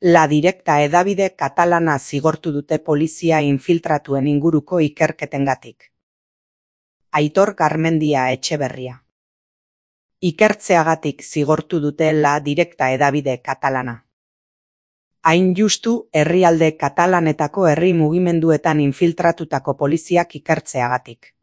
La Directa hedabide katalana zigortu dute polizia infiltratuen inguruko ikerketengatik. Aitor Garmendia Etxeberria. Ikertzeagatik zigortu dute La Directa hedabide katalana. Hain justu, herrialde katalanetako herri mugimenduetan infiltratutako poliziak ikertzeagatik.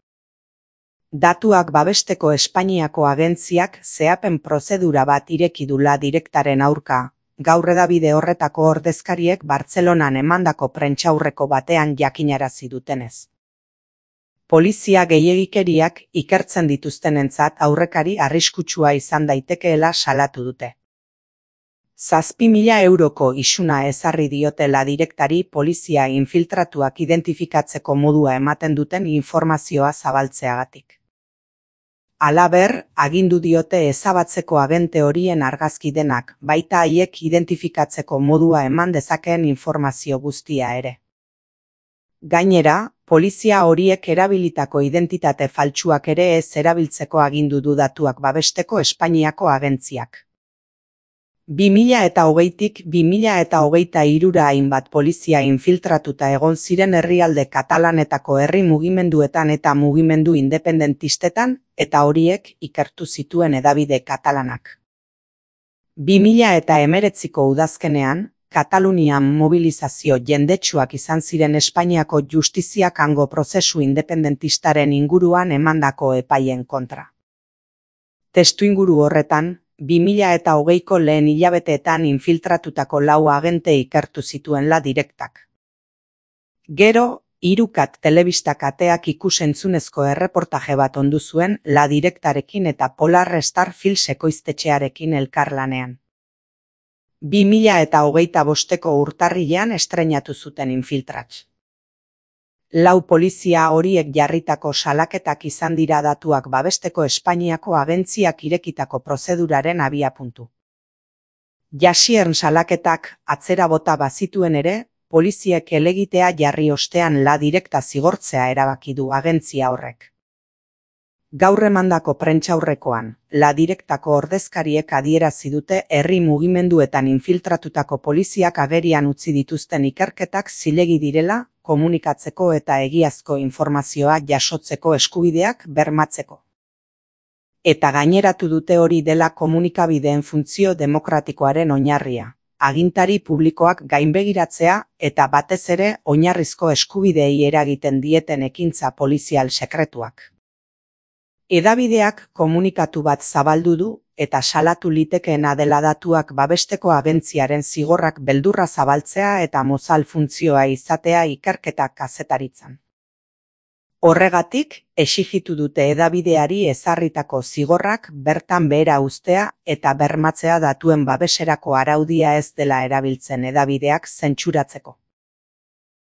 Datuak babesteko Espainiako agentziak zehapen prozedura bat ireki du La Directaren aurka, gaur hedabide horretako ordezkariek Bartzelonan emandako prentsaurreko batean jakinarazi dutenez. Polizia gehiegikeriak ikertzen dituztenentzat aurrekari arriskutsua izan daitekeela salatu dute. 7.000 euroko isuna ezarri diote La Directari polizia infiltratuak identifikatzeko modua ematen duten informazioa zabaltzeagatik. Halaber, agindu diote ezabatzeko agente horien argazki denak, baita haiek identifikatzeko modua eman dezakeen informazio guztia ere. Gainera, polizia horiek erabilitako identitate faltsuak ere ez erabiltzeko agindu du datuak babesteko Espainiako agentziak. 2020tik 2023ra hainbat polizia infiltratuta egon ziren herrialde katalanetako herri mugimenduetan eta mugimendu independentistetan, eta horiek ikertu zituen hedabide katalanak. 2019ko udazkenean, Katalunian mobilizazio jendetsuak izan ziren Espainiako justiziak hango prozesu independentistaren inguruan emandako epaien kontra. Testuinguru horretan, 2020ko lehen hilabeteetan infiltratutako 4 agente ikertu zituen La Directak. Gero, 3kat telebista kateak ikus-entzunezko erreportaje bat ondu zuen La Directarekin eta Polar Star Films ekoiztetxearekin elkarlanean. 2025ko urtarrilean estreinatu zuten Infiltrats. 4 polizia horiek jarritako salaketak izan dira datuak babesteko Espainiako agentziak irekitako prozeduraren abiapuntu. Jasiern salaketak atzera bota bazituen ere, poliziek helegitea jarri ostean La Directa zigortzea erabaki du agentzia horrek. Gaur emandako prentsaurrekoan, La Directako ordezkariek adierazi dute herri mugimenduetan infiltratutako poliziak agerian utzi dituzten ikerketak zilegi direla, komunikatzeko eta egiazko informazioa jasotzeko eskubideak bermatzeko. Eta gaineratu dute hori dela komunikabideen funtzio demokratikoaren oinarria, agintari publikoak gainbegiratzea eta batez ere oinarrizko eskubideei eragiten dieten ekintza polizial sekretuak. Hedabideak komunikatu bat zabaldu du eta salatu litekeena dela datuak babesteko agentziaren zigorrak beldurra zabaltzea eta mozal funtzioa izatea ikerketak kazetaritzan. Horregatik, exijitu dute hedabideari ezarritako zigorrak bertan behera uztea eta bermatzea datuen babeserako araudia ez dela erabiltzen hedabideak zentsuratzeko.